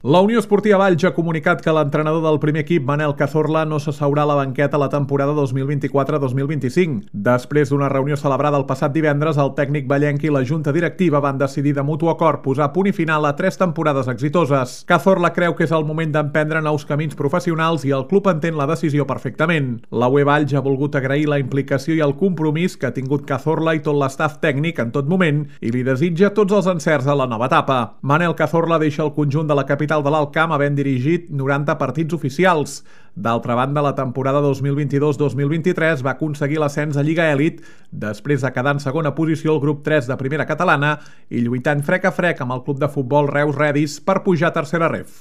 La Unió Esportiva Valls ha comunicat que l'entrenador del primer equip, Manel Cazorla, no s'asseurà a la banqueta la temporada 2024-2025. Després d'una reunió celebrada el passat divendres, el tècnic vallenc i la junta directiva van decidir de mutu acord posar punt i final a 3 temporades exitoses. Cazorla creu que és el moment d'emprendre nous camins professionals i el club entén la decisió perfectament. La UE Valls ha volgut agrair la implicació i el compromís que ha tingut Cazorla i tot l'estaf tècnic en tot moment i li desitja tots els encerts a la nova etapa. Manel Cazorla deixa el conjunt de la capital de l'Alt Camp havent dirigit 90 partits oficials. D'altra banda, la temporada 2022-2023 va aconseguir l'ascens a Lliga Elit després de quedar en segona posició al grup 3 de primera catalana i lluitant frec a frec amb el club de futbol Reus Redis per pujar a tercera ref.